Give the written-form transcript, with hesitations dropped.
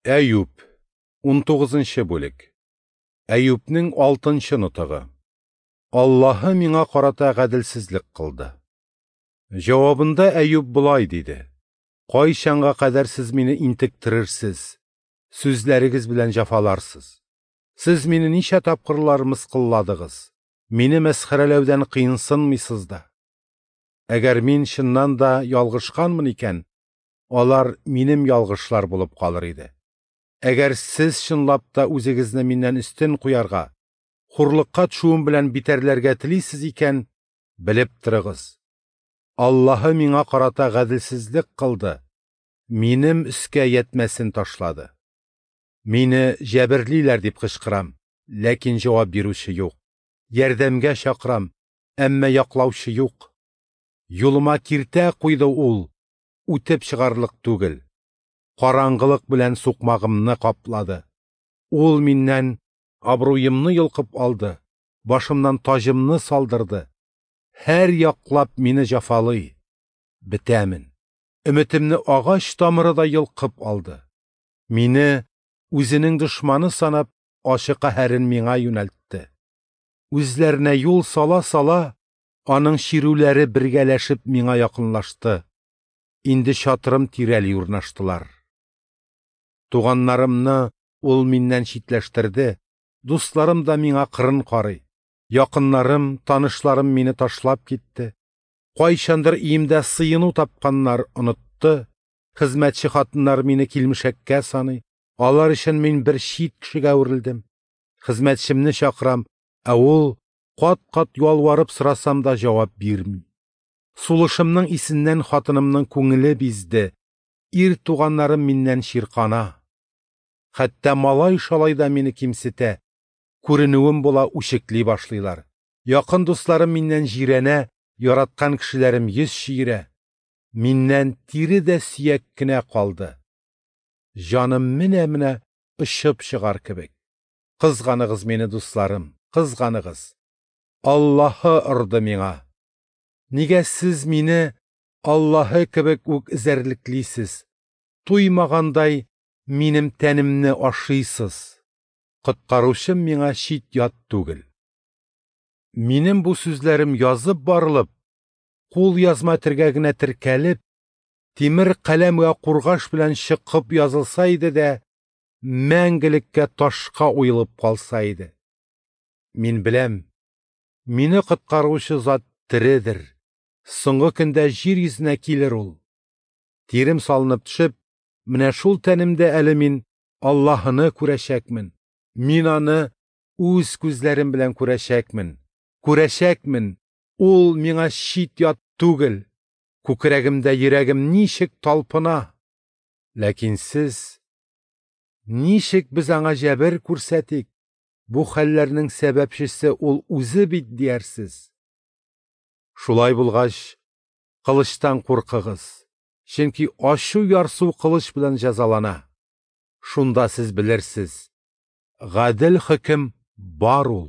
Әюп, 19 бүлек. Әюпнең 6 нотыгы. Аллаһы миңа карата гаделсезлек кылды. Җавабында Әюп болай диде: Кайчанга кадәр сез мине интектерерсез, сүзләрегез белән җәфаларсыз? Сез мине ничә тапкырлар мыскылладыгыз, мине мәсхәрәләүдән кыенсынмыйсыз да. Әгәр мин чыннан да ялгышканмын икән, алар минем ялгышлар булып калыр иде. Әгәр сез чынлап та үзегезне миннән өстен куярга, хурлыкка төшүем белән битәрләргә телисез икән, белеп торыгыз. Аллаһы миңа карата гаделсезлек кылды, минем өскә ятмәсен ташлады. Мине җәберлиләр дип кычкырам, ләкин җавап бирүче юк. Ярдәмгә чакырам, әмма яклаучы юк. Юлыма киртә куйды ул, үтеп чыгарлык түгел. Караңгылык белән сукмагымны каплады. Ул миннән абруемны йолкып алды, башымнан таҗымны салдырды. Һәр яклап мине җафалый. Бетәмен. Өметемне агач тамыры да йолкып алды. Мине үзенең дошманы санап, ачы каһәрен миңа юнәлтте. Үзләренә юл сала-сала, аның чирүләре бергәләшеп миңа якынлашты. Инде чатырым тирәли урнаштылар. Туганнарымны ул миннән читләштерде, дусларым да миңа кырын карый. Якыннарым, танышларым мине ташлап китте. Кайчандыр өемдә сыену тапканнар онытты. Хезмәтче хатыннар мине килмешәккә саный. Алар өчен мин бер чит кешегә әверелдем. Хезмәтчемне чакырам, ә ул кат-кат ялварып сорасам да җавап бирми. Сулышымның исеннән хатынымның күңеле бизде. Ир туганнарым миннән чиркана. Хәтта малай-шалай да мине кимсетә. Күренүем була үчекли башлыйлар. Якын дусларым миннән җирәнә, яраткан кешеләрем йөз чөерә. Миннән тире дә сөяк кенә калды. Җаным менә-менә очып чыгар кебек. Кызганыгыз мине, дусларым, кызганыгыз. Аллаһы орды миңа. Нигә сез мине Аллаһы кебек үк эзәрлеклисез? Туймагандай минем тәнемне ашыйсыз. Коткаручым миңа чит-ят түгел. Минем бу сүзләрем язып барылып, кул язма төргәгенә теркәлеп, тимер каләм вә кургаш белән чыкып язылса иде дә, мәңгелеккә ташка уелып калса иде. Мин беләм, мине коткаручы зат тередер. Соңгы көндә җир йөзенә килер ул. Тирем салынып төшеп, менә шул тәнемдә әле мин Аллаһыны күрәчәкмен. Мин аны үз күзләрем белән күрәчәкмен. Күрәчәкмен. Ул миңа чит-ят түгел. Күкрәгемдә йөрәгем ничек талпына. Ләкин сез, ничек без аңа җәбер күрсәтик? Бу хәлләрнең сәбәпчесе ул үзе бит диярсез. Шулай булгач, кылычтан куркыгыз, чөнки ачу ярсу кылыч белән җәзалана. Шунда сез белерсез, гадел хөкем бар ул.